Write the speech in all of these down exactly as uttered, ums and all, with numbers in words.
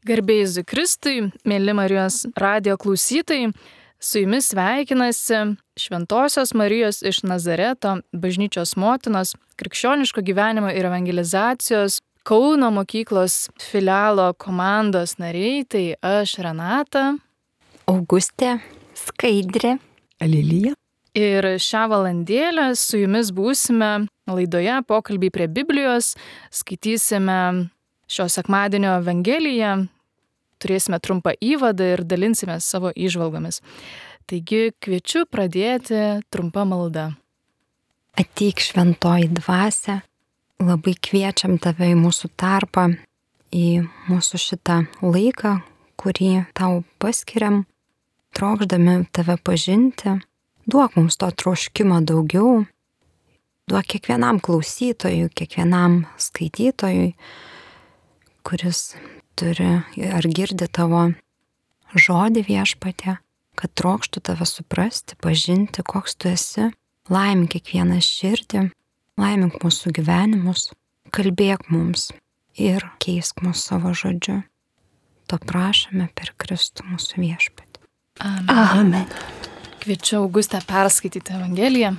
Garbė Jėzui Kristui, mėly Marijos radijo klausytojai, su jumis sveikinasi Šventosios Marijos iš Nazareto bažnyčios motinos, krikščioniško gyvenimo ir evangelizacijos Kauno mokyklos filialo komandos nariai, tai aš Renata, Augustė, Skaidrė, Lilija. Ir šią valandėlę su jumis būsime laidoje Pokalbiai prie Biblijos, skaitysime šio sekmadienio Evangeliją, turėsime trumpą įvadą ir dalinsime savo įžvalgomis. Taigi kviečiu pradėti trumpą maldą. Ateik šventoji dvasia, labai kviečiam tave į mūsų tarpą, į mūsų šitą laiką, kurį tau paskiriam, trokšdami tave pažinti. Duok mums to troškimo daugiau, duok kiekvienam klausytojui, kiekvienam skaitytojui, kuris turi ar girdi tavo žodį Viešpatie, kad trokštų tave suprasti, pažinti, koks tu esi. Laimink kiekvieną širdį, laimink mūsų gyvenimus, kalbėk mums ir keisk mūsų savo žodžiu. To prašome per Kristų mūsų Viešpatį. Amen. Amen. Kviečiu Augustę perskaityti Evangeliją.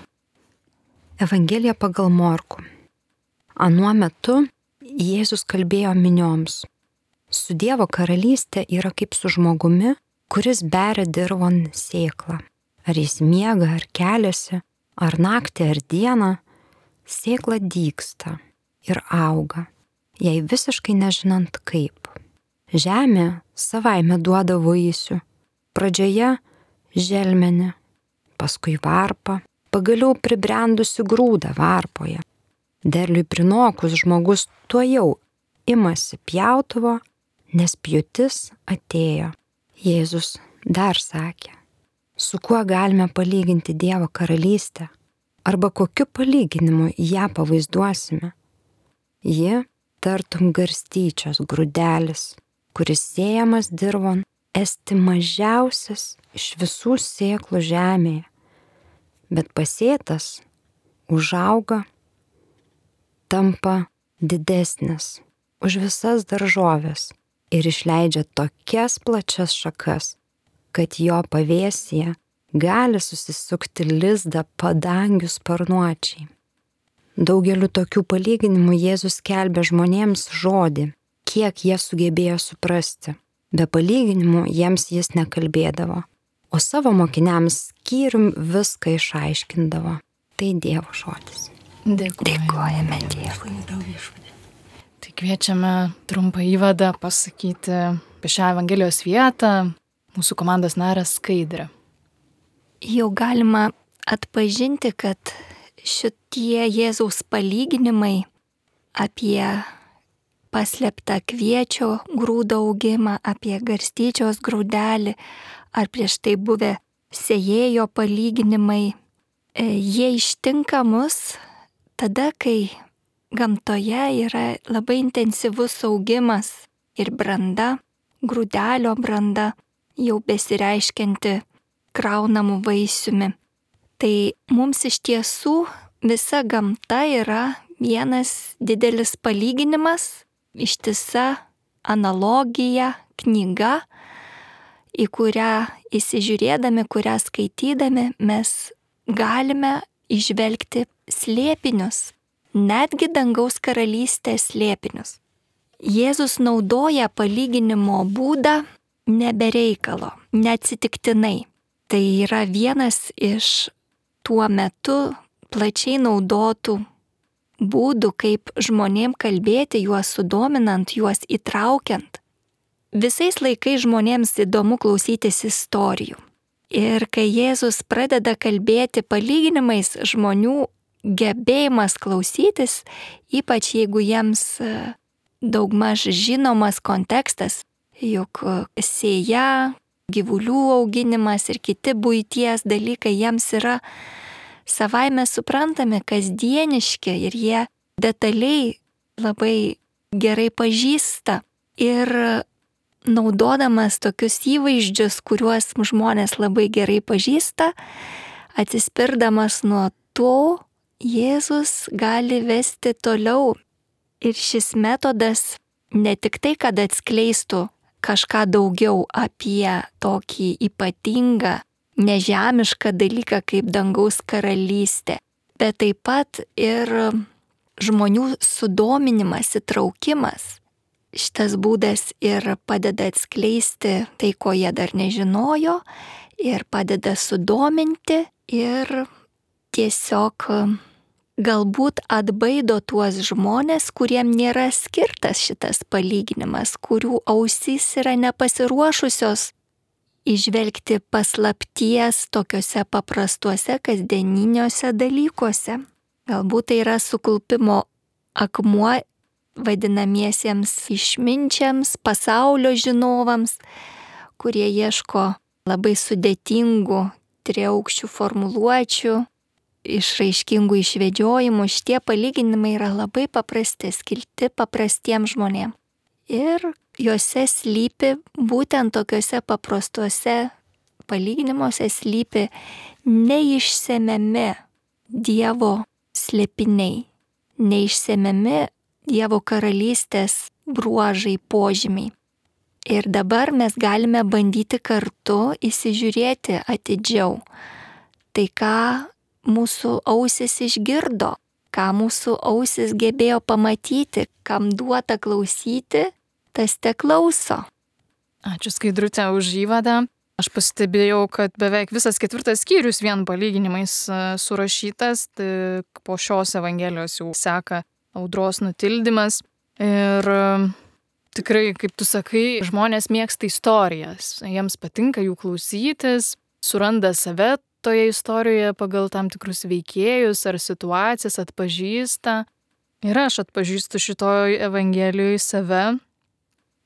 Evangelija pagal Morkų. Anuo metu Jėzus kalbėjo minioms. Su Dievo karalystė yra kaip su žmogumi, kuris beria dirvon sėklą. Ar jis miega, ar keliasi, ar naktį, ar dieną, sėkla dygsta ir auga, jai visiškai nežinant kaip. Žemė savaime duoda vaisių. Pradžioje želmenį, paskui varpą, pagaliau pribrendusi grūdą varpoje. Derliui prinokus žmogus tuojau imasi pjautuvo, nes pjūtis atėjo. Jėzus dar sakė, su kuo galime palyginti Dievo karalystę, arba kokiu palyginimu ją pavaizduosime. Ji tartum garstyčios grūdelis, kuris sėjamas dirvon, esti mažiausias iš visų sėklų žemėje, bet pasėtas užauga, tampa didesnis už visas daržovės ir išleidžia tokias plačias šakas, kad jo pavėsyje gali susisukti lizdą padangių sparnuočiai. Daugeliu tokių palyginimų Jėzus skelbė žmonėms žodį, kiek jie sugebėjo suprasti. Be palyginimų jiems jis nekalbėdavo, o savo mokiniams skyrium viską išaiškindavo. Tai Dievo žodis. Dėkojame, Dėkojame Dievui. Tai kviečiame trumpą įvadą pasakyti apie šią Evangelijos vietą mūsų komandos narę Skaidrę. Jau galima atpažinti, kad šitie Jėzaus palyginimai apie paslėptą kviečio grūdo augimą, apie garstyčios grūdelį, ar prieš tai buvę sėjėjo palyginimai, jie ištinka mus tada, kai gamtoje yra labai intensyvus augimas ir branda, grūdelio branda, jau besireiškianti kraunamų vaisiumi. Tai mums iš tiesų visa gamta yra vienas didelis palyginimas, ištisa analogija, knyga, į kurią įsižiūrėdami, kurią skaitydami mes galime įžvelgti slėpinius, netgi dangaus karalystės slėpinius. Jėzus naudoja palyginimo būdą nebe reikalo, neatsitiktinai. Tai yra vienas iš tuo metu plačiai naudotų būdų, kaip žmonėm kalbėti, juos sudominant, juos įtraukiant. Visais laikais žmonėms įdomu klausytis istorijų. Ir kai Jėzus pradeda kalbėti palyginimais, žmonių gebėjimas klausytis, ypač jeigu jiems daugmaž žinomas kontekstas, juk sėja, gyvulių auginimas ir kiti buities dalykai jiems yra savaime suprantami, kasdieniški ir jie detaliai labai gerai pažįsta. Ir naudodamas tokius įvaizdžius, kuriuos žmonės labai gerai pažįsta, atsispirdamas nuo to, Jėzus gali vesti toliau. Ir šis metodas ne tik tai, kad atskleistų kažką daugiau apie tokį ypatingą, nežemišką dalyką kaip dangaus karalystė, bet taip pat ir žmonių sudominimas, įtraukimas. Šitas būdas ir padeda atskleisti tai, ko jie dar nežinojo, ir padeda sudominti, ir tiesiog galbūt atbaido tuos žmonės, kuriem nėra skirtas šitas palyginimas, kurių ausys yra nepasiruošusios įžvelgti paslapties tokiuose paprastuose kasdieniniuose dalykuose. Galbūt tai yra suklupimo akmuo vadinamiesiems išminčiams, pasaulio žinovams, kurie ieško labai sudėtingų, triaukščių formuluočių, išraiškingų išvedžiojimų. Šitie palyginimai yra labai paprasti, skirti paprastiems žmonėms. Ir juose slypi, būtent tokiuose paprastuose palyginimuose slypi neišsemiami Dievo slėpiniai, neišsemiami Dievo karalystės bruožai, požymiai. Ir dabar mes galime bandyti kartu įsižiūrėti atidžiau. Tai ką mūsų ausis išgirdo, ką mūsų ausis gebėjo pamatyti, kam duota klausyti, tas te klauso. Ačiū Skaidrute už įvadą. Aš pastebėjau, kad beveik visas ketvirtas skyrius vien palyginimais surašytas, tai po šios evangelijos jau seka audros nutildymas. Ir tikrai, kaip tu sakai, žmonės mėgsta istorijas, jiems patinka jų klausytis, suranda save toje istorijoje pagal tam tikrus veikėjus ar situacijas, atpažįsta. Ir aš atpažįstu šitoj evangelijoje save,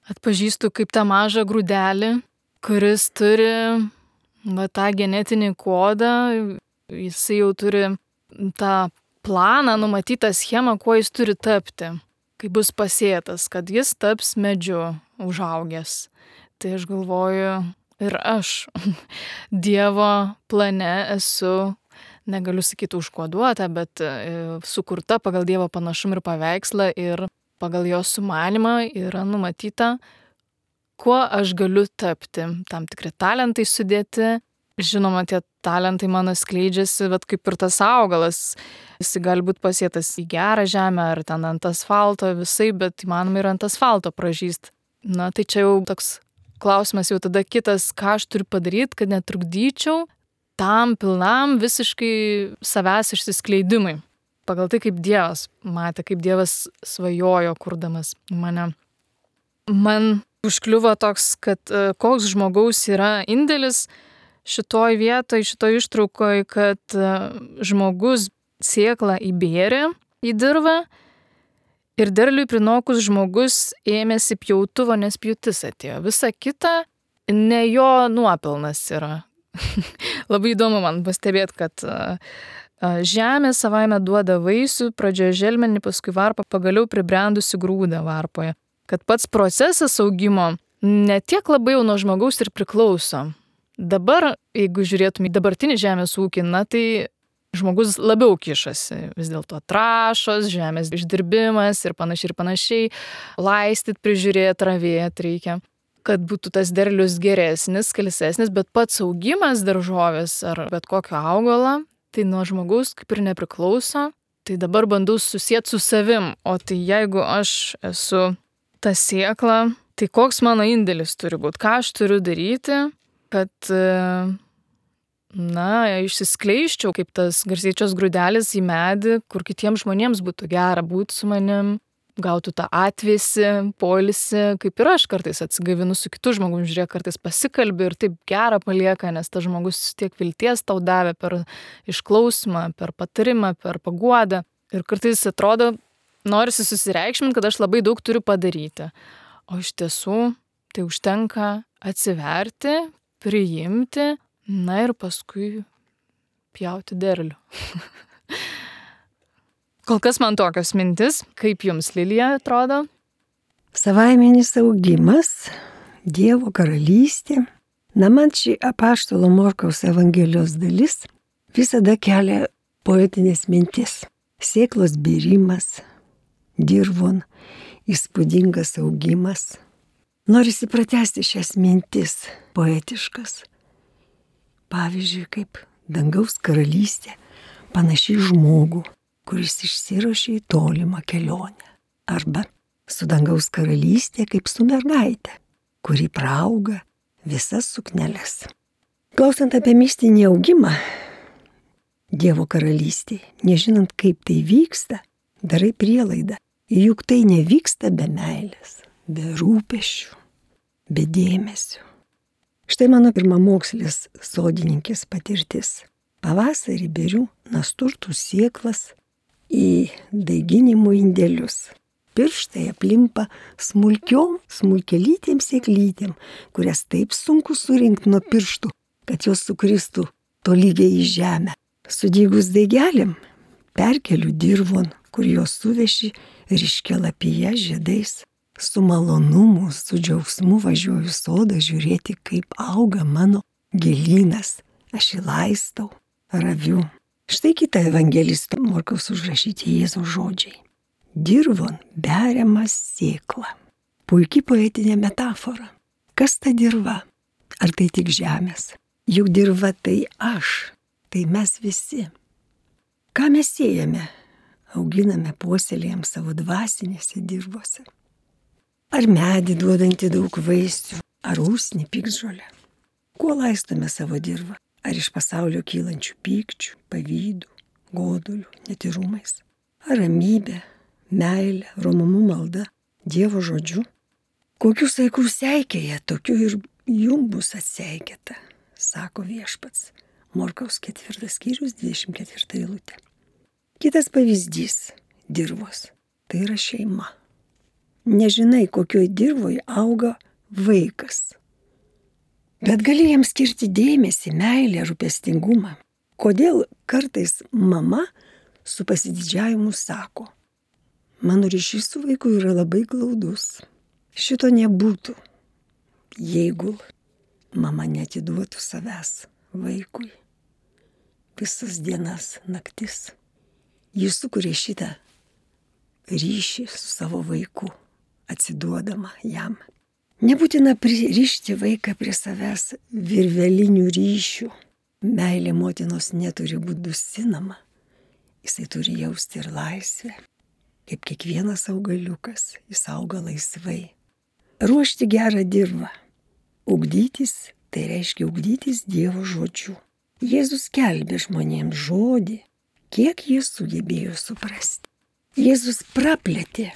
atpažįstu kaip tą mažą grūdelį, kuris turi va, tą genetinį kodą, jisai jau turi tą planą, numatytą schemą, kuo jis turi tapti, kai bus pasėtas, kad jis taps medžiu užaugęs. Tai aš galvoju, ir aš Dievo plane esu, negaliu sakyti užkoduota, bet sukurta pagal Dievo panašumą ir paveikslą, ir pagal jo sumanimą yra numatyta, kuo aš galiu tapti. Tam tikri talentai sudėti. Žinoma, tie talentai mano skleidžiasi, bet kaip ir tas augalas. Jis gali būti pasėtas į gerą žemę ar ten ant asfalto visai, bet įmanoma ir ant asfalto pražyst. Na, tai čia jau toks klausimas jau tada kitas, ką aš turiu padaryti, kad netrukdyčiau tam pilnam visiškai savęs išsiskleidimui. Pagal tai, kaip Dievas matė, kaip Dievas svajojo kurdamas mane. Man užkliuvo toks, kad koks žmogaus yra indėlis šitoj vietoj, šitoj ištraukoj, kad žmogus sėklą įbėrė į dirvą ir derliui prinokus žmogus ėmėsi pjautuvo, nes pjūtis atėjo. Visa kita ne jo nuopelnas yra. Labai įdomu man pastebėti, kad žemė savaime duoda vaisių, pradžioje želmenį, paskui varpą, pagaliau pribrendusi grūdą varpoje. Kad pats procesas augimo ne tiek labai jau nuo žmogaus ir priklauso. Dabar, jeigu žiūrėtum į dabartinį žemės ūkį, na tai žmogus labiau kišasi. Vis dėlto trąšos, žemės išdirbimas ir panašiai ir panašiai. Laistyt, prižiūrėti, ravėti reikia, kad būtų tas derlius geresnis, skalsesnis, bet pats augimas daržovės ar bet kokio augalo, tai nuo žmogaus kaip ir nepriklauso. Tai dabar bandau susieti su savim. O tai jeigu aš esu ta sėkla, tai koks mano indėlis turi būti, ką aš turiu daryti, kad, na, išsiskleiščiau kaip tas garsyčios grūdelis į medį, kur kitiems žmonėms būtų gera būti su manim, gautų tą atvėsį, poilsį, kaip ir aš kartais atsigavinu su kitu žmogum, žiūrėk, kartais pasikalbi ir taip gera palieka, nes tas žmogus tiek vilties tau davė per išklausymą, per patarimą, per paguodą. Ir kartais atrodo, norisi susireikšminti, kad aš labai daug turiu padaryti. O iš tiesų tai užtenka atsiverti, priimti, na ir paskui pjauti derlių. Kol kas man tokios mintis, kaip jums, Lilija, atrodo? Savaiminis augimas, Dievo karalystė. Na, man ši apaštalo Morkaus evangelijos dalis visada kelia poetinės mintis. Sėklos bėrimas, dirvon, įspūdingas augimas. Norisi pratęsti šias mintis poetiškas. Pavyzdžiui, kaip dangaus karalystė panašiai žmogų, kuris išsiruošė į tolimą kelionę. Arba su dangaus karalystė kaip su mergaitė, kuri praauga visas sukneles. Klausant apie mistinį augimą Dievo karalystėje, nežinant kaip tai vyksta, darai prielaidą, juk tai nevyksta be meilės, be rūpesčių, be dėmesio. Štai mano pirmamokslės sodininkės patirtis. Pavasarį beriu nasturtų sėklas į daiginimo indelius. Pirštai aplimpa smulkiom, smulkelytėm sėklytėm, kurias taip sunku surinkti nuo pirštų, kad jos sukristų tolygiai į žemę. Sudygus daigelėm perkeliu dirvon, kur jos suveši ryškialapyje žiedais. Su malonumu, su džiaugsmu važiuoju sodą žiūrėti, kaip auga mano gėlynas. Aš jį laistau, raviu. Štai kita evangelisto Morkaus užrašyti Jėzaus žodžiai. Dirvon beriamas sėkla. Puikiai poetinė metafora. Kas ta dirva? Ar tai tik žemės? Juk dirva tai aš, tai mes visi. Ką mes siejame? Auginame, puoselėjam savo dvasinėse dirvose. Ar medį duodantį daug vaisių, ar usnį piktžolę. Kuo laistome savo dirvą? Ar iš pasaulio kylančių pykčių, pavydų, godulių, netyrumais? Ar ramybė, meilė, romumu malda, Dievo žodžiu? Kokių saikų seikėje, tokių ir jum bus atseikėta, sako viešpats. Morkaus ketvirtas skyrius, dvidešimt ketvirta eilutė. Kitas pavyzdys dirvos. Tai yra šeima. Nežinai, kokioj dirvoje auga vaikas. Bet gali jam skirti dėmesį, meilę, rūpestingumą. Kodėl kartais mama su pasididžiavimu sako, mano ryšys su vaiku yra labai glaudus. Šito nebūtų, jeigu mama neatiduotų savęs vaikui. Visas dienas, naktis. Jis sukuria šitą ryšį su savo vaiku, atsiduodama jam. Nebūtina pririšti vaiką prie savęs virvelinių ryšių. Meilė motinos neturi būti dusinama. Jisai turi jausti ir laisvę. Kaip kiekvienas augaliukas, jis auga laisvai. Ruošti gerą dirvą. Ugdytis, tai reiškia ugdytis Dievo žodžiu. Jėzus skelbė žmonėms žodį, kiek jie sugebėjo suprasti. Jėzus praplėtė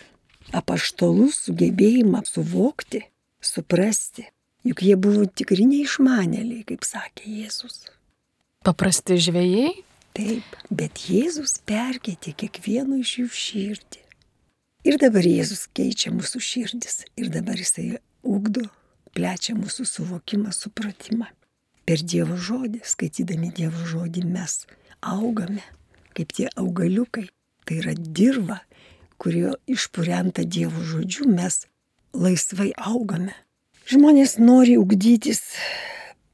apaštalų sugebėjimą suvokti, suprasti, juk jie buvo tikri neišmanėliai, kaip sakė Jėzus. Paprasti žvejai? Taip, bet Jėzus perkeitė kiekvieno iš jų širdį. Ir dabar Jėzus keičia mūsų širdis, ir dabar jisai ugdo, plečia mūsų suvokimą, supratimą. Per Dievo žodį, skaitydami Dievo žodį, mes augame, kaip tie augaliukai. Tai yra dirva, kurio išpurenta Dievo žodžiu, mes laisvai augame. Žmonės nori ugdytis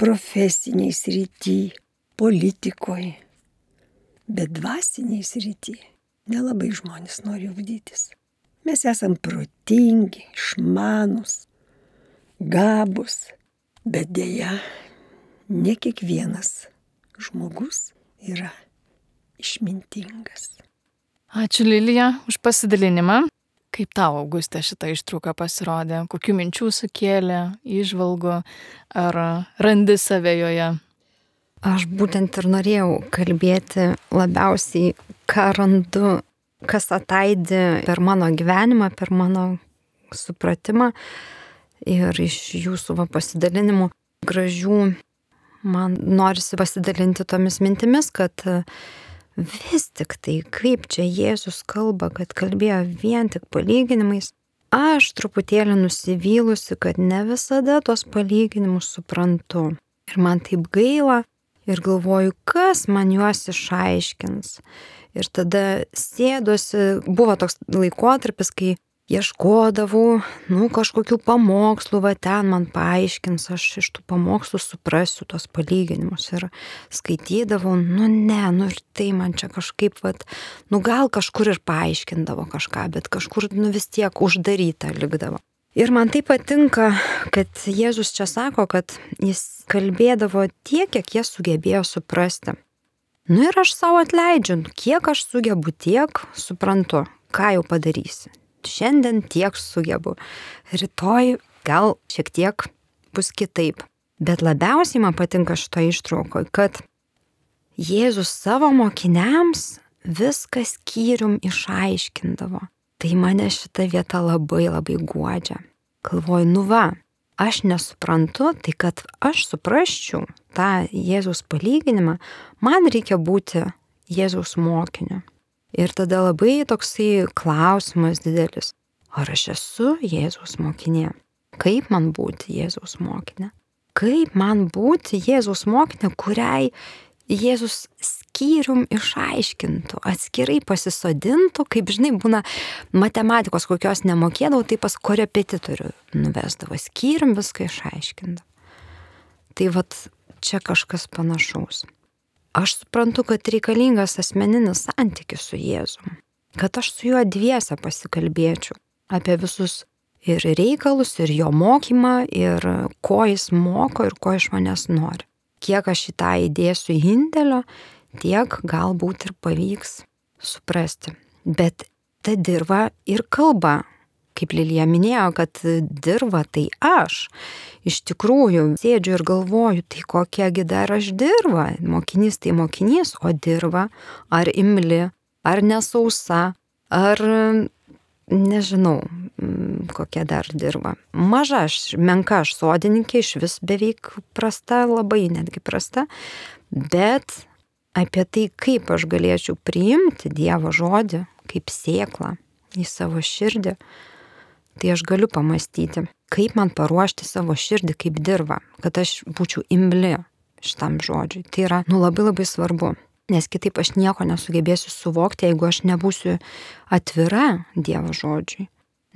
profesiniai srity, politikoje, bet dvasiniai srity nelabai žmonės nori ugdytis. Mes esam protingi, išmanus, gabus, bet dėja, ne kiekvienas žmogus yra išmintingas. Ačiū Lilija už pasidalinimą. Kaip tau, Augustė, šitą ištrauką pasirodė? Kokių minčių sukėlė, įžvalgų, ar randi save joje? Aš būtent ir norėjau kalbėti labiausiai, ką randu, kas ataidi per mano gyvenimą, per mano supratimą ir iš jūsų va, pasidalinimų gražių. Man norisi pasidalinti tomis mintimis, kad vis tik tai, kaip čia Jėzus kalba, kad kalbėjo vien tik palyginimais, aš truputėlį nusivylusi, kad ne visada tos palyginimus suprantu. Ir man taip gaila ir galvoju, kas man juos išaiškins. Ir tada sėdosi, buvo toks laikotarpis, kai ieškodavau, nu, kažkokių pamokslų, va ten man paaiškins, aš iš tų pamokslų suprasiu tos palyginimus ir skaitydavau, nu ne, nu ir tai man čia kažkaip, va, nu gal kažkur ir paaiškindavo kažką, bet kažkur, nu vis tiek uždaryta likdavo. Ir man tai patinka, kad Jėzus čia sako, kad jis kalbėdavo tiek, kiek jie sugebėjo suprasti. Nu ir aš savo atleidžiu, kiek aš sugebu, tiek suprantu, ką jau padarysi. Šiandien tiek sugebu, rytoj gal šiek tiek bus kitaip. Bet labiausiai man patinka šito ištrauko, kad Jėzus savo mokiniams viską skyrium išaiškindavo. Tai mane šita vieta labai labai guodžia. Galvoju, nu va, aš nesuprantu, tai kad aš suprasčiau tą Jėzaus palyginimą, man reikia būti Jėzaus mokiniu. Ir tada labai toksai klausimas didelis, ar aš esu Jėzaus mokinė? Kaip man būti Jėzaus mokinė? Kaip man būti Jėzaus mokinė, kuriai Jėzus skyrium išaiškintų, atskirai pasisodintų, kaip žinai, būna matematikos kokios nemokėdavau, tai pas korepetitorių nuvesdavo, skyrium viską išaiškindavo. Tai vat čia kažkas panašaus. Aš suprantu, kad reikalingas asmeninis santykis su Jėzum, kad aš su juo dviese pasikalbėčiau apie visus ir reikalus, ir jo mokymą, ir ko jis moko, ir ko iš manęs nori. Kiek aš į tą įdėsiu indėlio, tiek galbūt ir pavyks suprasti. Bet ta dirva ir kalba, kaip Lilija minėjo, kad dirva tai aš. Iš tikrųjų, sėdžiu ir galvoju, tai kokiagi dar aš dirva. Mokinys tai mokinys, o dirva ar imli, ar nesausa, ar nežinau, kokia dar dirba. Maža aš, menka aš sodininkė, iš vis beveik prasta, labai netgi prasta, bet apie tai, kaip aš galėčiau priimti Dievo žodį, kaip sėklą į savo širdį, tai aš galiu pamastyti, kaip man paruošti savo širdį kaip dirvą, kad aš būčiau imli šitam žodžiui. Tai yra, nu, labai labai svarbu. Nes kitaip aš nieko nesugebėsiu suvokti, jeigu aš nebūsiu atvira Dievo žodžiui.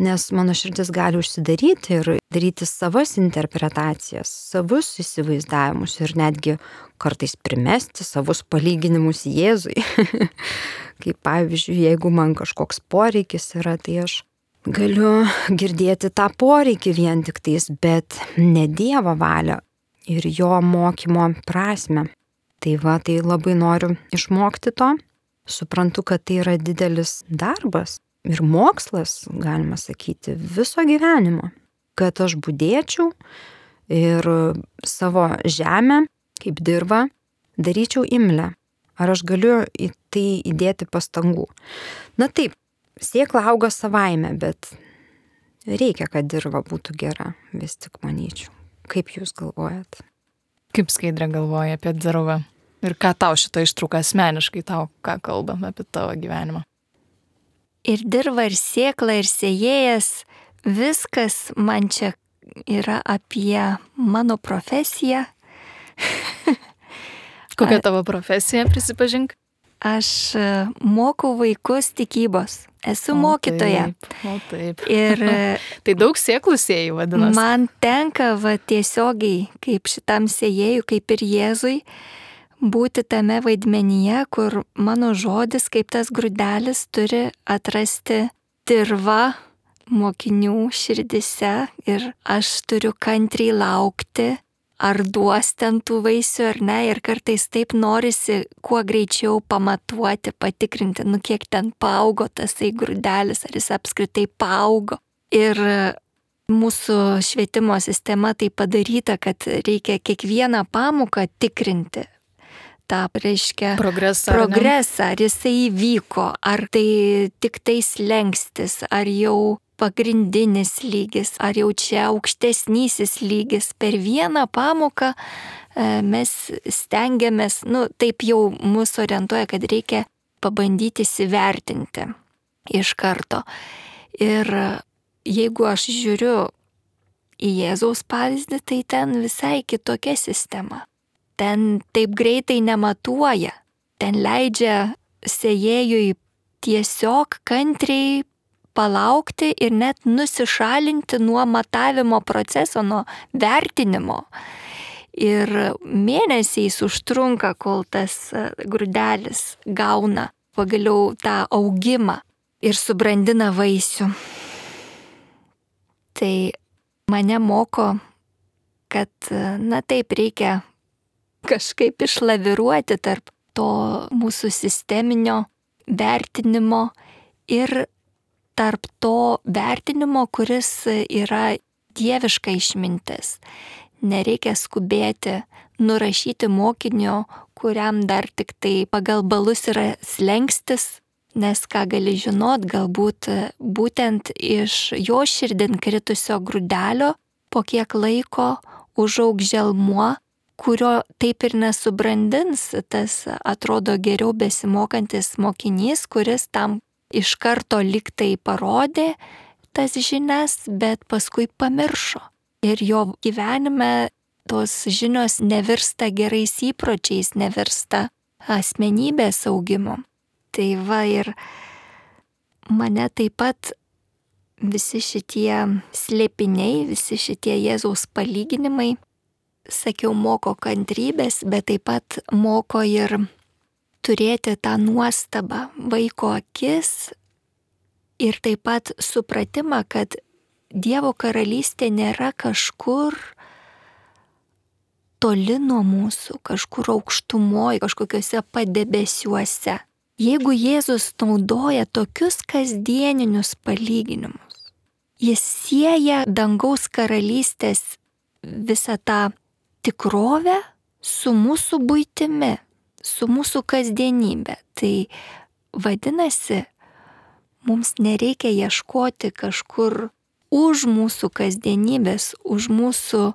Nes mano širdis gali užsidaryti ir daryti savas interpretacijas, savus įsivaizdavimus ir netgi kartais primesti savus palyginimus Jėzui. Kaip pavyzdžiui, jeigu man kažkoks poreikis yra, tai aš galiu girdėti tą poreikį vien tik tais, bet ne Dievo valią ir jo mokymo prasme. Tai va, tai labai noriu išmokti to. Suprantu, kad tai yra didelis darbas ir mokslas, galima sakyti, viso gyvenimo. Kad aš budėčiau ir savo žemę, kaip dirvą, daryčiau imlę. Ar aš galiu į tai įdėti pastangų? Na taip, sėkla auga savaime, bet reikia, kad dirva būtų gera, vis tik manyčiau. Kaip jūs galvojat? Kaip Skaidrė galvoja apie dirvą? Ir ką tau šitą ištrauką asmeniškai, tau ką kalbam apie tavo gyvenimą? Ir dirva, ir sėkla, ir sėjėjas, viskas man čia yra apie mano profesiją. Kokia tavo profesija, prisipažink? Aš mokau vaikus tikybos. Esu o mokytoja. Taip, o taip. Ir tai daug sėklų sėjų vadinasi. Man tenka va, tiesiogiai, kaip šitam sėjėjui, kaip ir Jėzui, būti tame vaidmenyje, kur mano žodis, kaip tas grūdelis, turi atrasti dirvą mokinių širdise ir aš turiu kantriai laukti, ar duos ten tų vaisių ar ne, ir kartais taip norisi kuo greičiau pamatuoti, patikrinti, nu kiek ten paaugo tasai grūdelis, ar jis apskritai paaugo. Ir mūsų švietimo sistema tai padaryta, kad reikia kiekvieną pamoką tikrinti. tą, reiškia, progresą, progresą, ar jisai įvyko, ar tai tik tai slengstis, ar jau pagrindinis lygis, ar jau čia aukštesnysis lygis. Per vieną pamoką mes stengiamės, nu, taip jau mus orientuoja, kad reikia pabandyti įsivertinti iš karto. Ir jeigu aš žiūriu į Jėzaus pavyzdį, tai ten visai kitokia sistema. Ten taip greitai nematuoja. Ten leidžia sėjėjui tiesiog kantriai palaukti ir net nusišalinti nuo matavimo proceso, nuo vertinimo. Ir mėnesiais užtrunka, kol tas grūdelis gauna pagaliau tą augimą ir subrandina vaisių. Tai mane moko, kad, na taip, reikia kažkaip išlaviruoti tarp to mūsų sisteminio vertinimo ir tarp to vertinimo, kuris yra dieviška išmintis. Nereikia skubėti nurašyti mokinio, kuriam dar tik tai pagal balus yra slenkstis, nes ką gali žinot, galbūt būtent iš jo širdin kritusio grūdelio po kiek laiko užaugs želmuo, kurio taip ir nesubrandins tas atrodo geriau besimokantis mokinys, kuris tam iš karto liktai parodė tas žinias, bet paskui pamiršo. Ir jo gyvenime tos žinios nevirsta gerais įpročiais, nevirsta asmenybės augimu. Tai va, ir mane taip pat visi šitie slėpiniai, visi šitie Jėzaus palyginimai, sakiau, moko kantrybės, bet taip pat moko ir turėti tą nuostabą, vaiko akis ir taip pat supratimą, kad Dievo karalystė nėra kažkur toli nuo mūsų, kažkur aukštumoje, kažkokiuose padebesiuose. Jeigu Jėzus naudoja tokius kasdieninius palyginimus, jis sieja dangaus karalystės visą tą tikrovę su mūsų buitimi, su mūsų kasdienybė. Tai vadinasi, mums nereikia ieškoti kažkur už mūsų kasdienybės, už mūsų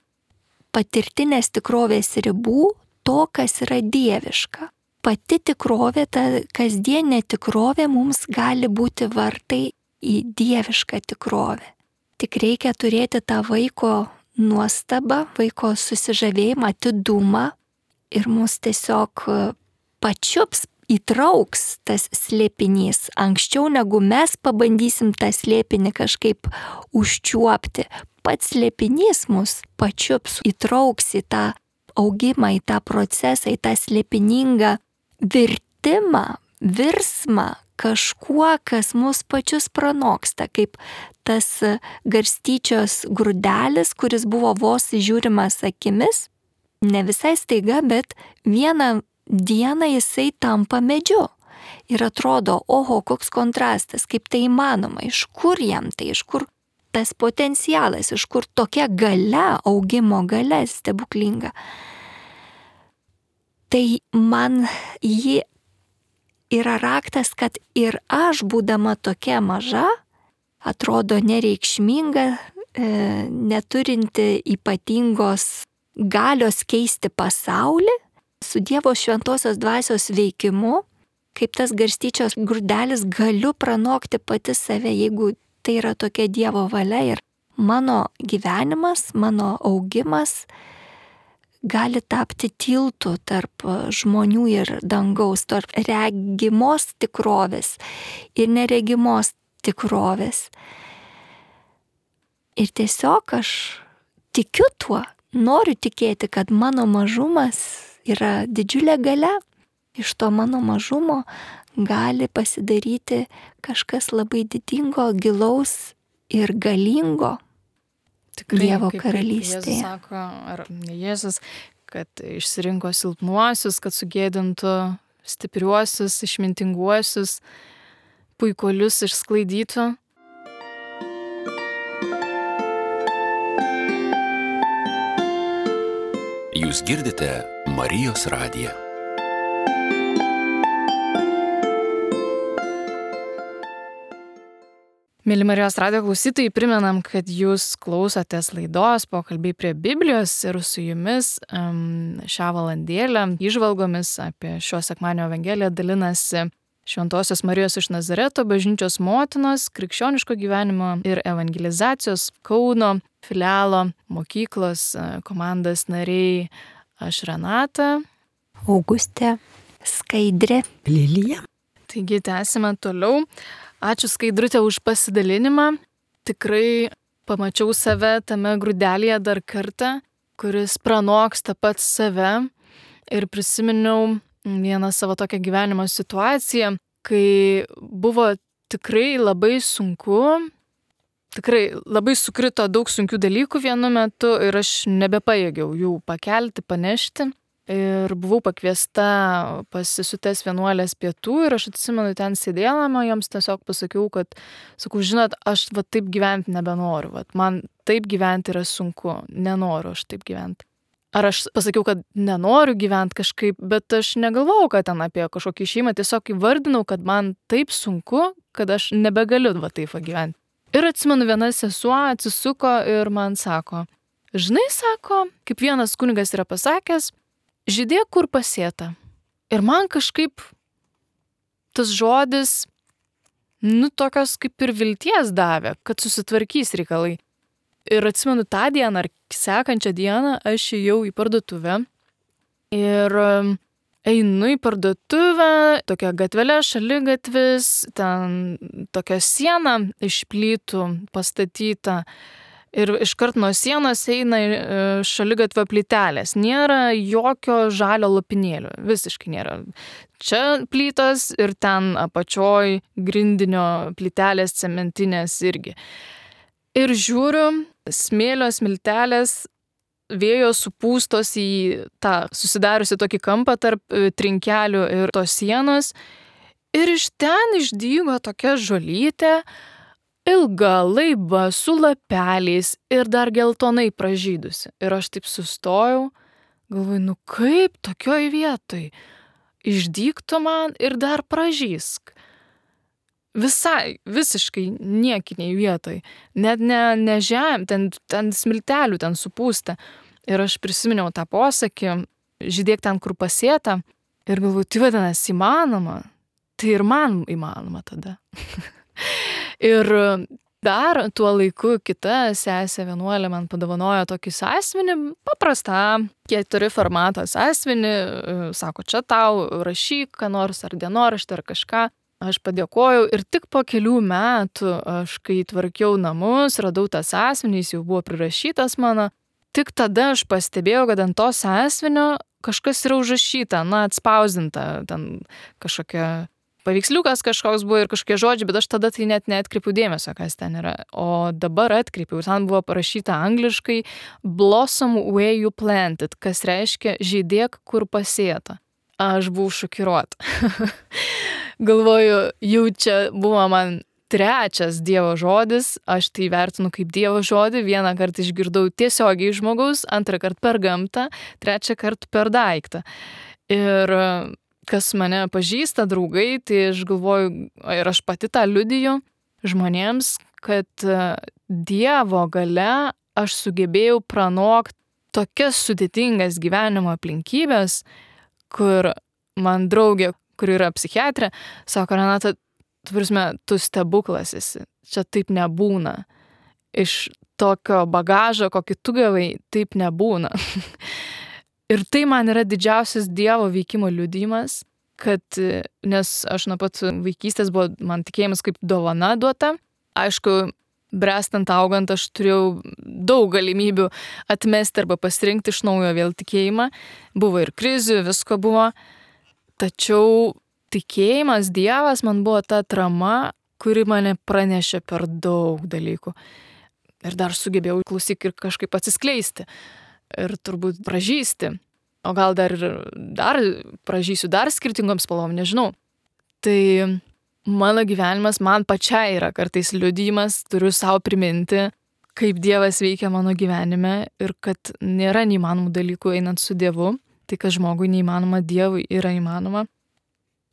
patirtinės tikrovės ribų to, kas yra dieviška. Pati tikrovė, ta kasdienė tikrovė mums gali būti vartai į dievišką tikrovę. Tik reikia turėti tą vaiko nuostabą, vaiko susižavėjimą, atidumą ir mus tiesiog pačiups, įtrauks tas slėpinys. Anksčiau negu mes pabandysim tą slėpinį kažkaip užčiuopti, pats slėpinys mus pačiups, įtrauks į tą augimą, į tą procesą, į tą slėpiningą virtimą, virsmą kažkuo, kas mus pačius pranoksta, kaip tas garstyčios grūdelis, kuris buvo vos žiūrimas akimis, ne visai staiga, bet vieną dieną jisai tampa medžiu. Ir atrodo, oho, koks kontrastas, kaip tai įmanoma, iš kur jam tai, iš kur tas potencialas, iš kur tokia galia, augimo galia stebuklinga. Tai man ji yra raktas, kad ir aš, būdama tokia maža, atrodo nereikšminga, e, neturinti ypatingos galios keisti pasaulį, su Dievo šventosios dvasios veikimu, kaip tas garstyčios grūdelis, galiu pranokti pati save, jeigu tai yra tokia Dievo valia, ir mano gyvenimas, mano augimas gali tapti tiltu tarp žmonių ir dangaus, tarp regimos tikrovės ir neregimos tikrovės. Ir tiesiog aš tikiu tuo, noriu tikėti, kad mano mažumas yra didžiulė galia. Iš to mano mažumo gali pasidaryti kažkas labai didingo, gilaus ir galingo. Tikrai, Dievo karalystėje. Jėzus sako, ar ne Jėzus, kad išsirinko silpnuosius, kad sugėdintų stipriuosius, išmintinguosius, puikuolius išsklaidytų. Jūs girdite Marijos radiją. Mėly Marijos radijo klausytojai, primenam, kad jūs klausotės laidos Pokalbiai prie Biblijos ir su jumis um, šią valandėlę įžvalgomis apie šio sekmadienio evangeliją dalinasi Šventosios Marijos iš Nazareto bažnyčios motinos, krikščioniško gyvenimo ir evangelizacijos Kauno filialo mokyklos komandos nariai. Aš Renata, Augustė, Skaidrė, Lilija. Taigi tęsime toliau. Ačiū Skaidrutė už pasidalinimą. Tikrai pamačiau save tame grūdelėje dar kartą, kuris pranoksta pats save, ir prisiminiau vieną savo tokią gyvenimo situaciją, kai buvo tikrai labai sunku tikrai labai sukrito daug sunkių dalykų vienu metu ir aš nebepajėgiau jų pakelti, panešti. Ir buvau pakviesta pas sesutes vienuolės pietų ir aš atsimenu ten sėdėdama, joms tiesiog pasakiau, kad, sakau, žinot, aš va taip gyventi nebenoriu, va, man taip gyventi yra sunku, nenoriu aš taip gyventi. Ar aš pasakiau, kad nenoriu gyventi kažkaip, bet aš negalvojau, kad ten apie kažkokį šeimą, tiesiog įvardinau, kad man taip sunku, kad aš nebegaliu va taip va gyventi. Ir atsimenu, viena sesuo atsisuko ir man sako, žinai, sako, kaip vienas kunigas yra pasakęs, žydėk, kur pasėta. Ir man kažkaip tas žodis, nu, tokios kaip ir vilties davė, kad susitvarkys reikalai. Ir atsimenu tą dieną ar sekančią dieną aš ėjau į parduotuvę ir einu į parduotuvę, tokia gatvelė, šaligatvis, ten tokia siena iš plytų pastatyta. Ir iškart nuo sienos eina šaligatvio plytelės. Nėra jokio žalio lopinėlio. Visiškai nėra. Čia plytos ir ten apačioj grindinio plytelės cementinės irgi. Ir žiūriu, smėlio smiltelės vėjo supūstos į tą susidariusi tokį kampą tarp trinkelių ir tos sienos. Ir iš ten išdygo tokia žolytė, ilga, laiba, su lapeliais ir dar geltonai pražydusi. Ir aš taip sustojau, galvoju, nu kaip tokioj vietoj? Išdygtų man ir dar pražysk. Visai, visiškai niekiniai vietoj. Net ne, ne žem, ten, ten smiltelių ten supūsta. Ir aš prisiminiau tą posakį, žydėk ten, kur pasėta. Ir galvoju, tai vadinasi įmanoma. Tai ir man įmanoma tada. Ir dar tuo laiku kita sesė vienuolė man padovanojo tokį sąsiuvinį, paprastą keturi formato sąsiuvinį, sako, čia tau rašyk, ką nors ar dienoraštį ar kažką. Aš padėkojau ir tik po kelių metų aš, kai tvarkiau namus, radau tą sąsiuvinį, jis jau buvo prirašytas mano. Tik tada aš pastebėjau, kad ant to sąsiuvinio kažkas yra užrašyta, na, atspausdinta, ten kažkokia paveiksliukas kažkoks buvo ir kažkokie žodžiai, bet aš tada tai net neatkreipiau dėmesio, kas ten yra. O dabar atkreipiau, ten buvo parašyta angliškai blossom where you planted, kas reiškia žydėk, kur pasėta. Aš buvau šokiruota. Galvoju, jau čia buvo man trečias Dievo žodis, aš tai vertinu kaip Dievo žodį, vieną kartą išgirdau tiesiogiai žmogaus, antrą kartą per gamtą, trečią kartą per daiktą. Ir kas mane pažįsta, draugai, tai aš galvoju, ir aš pati tą liudiju žmonėms, kad Dievo galia aš sugebėjau pranokti tokias sudėtingas gyvenimo aplinkybės, kur man draugė, kur yra psichiatrė, sako, Renata, tu prasme, tu stebuklas esi, čia taip nebūna. Iš tokio bagažo, kokį tu gavai, taip nebūna. Ir tai man yra didžiausias Dievo veikimo liudijimas, kad, nes aš nuo pat vaikystės buvo man tikėjimas kaip dovana duota. Aišku, brestant augant aš turėjau daug galimybių atmesti arba pasirinkti iš naujo vėl tikėjimą. Buvo ir krizių, visko buvo. Tačiau tikėjimas Dievas man buvo ta atrama, kuri mane pranešė per daug dalykų. Ir dar sugebėjau klausyk ir kažkaip atsiskleisti. Ir turbūt pražysti. O gal dar, dar pražysiu dar skirtingom spalvom, nežinau. Tai mano gyvenimas man pačiai yra kartais liudijimas, turiu savo priminti, kaip Dievas veikia mano gyvenime ir kad nėra neįmanomų dalykų einant su Dievu. Tai, kas žmogui neįmanoma, Dievui yra įmanoma.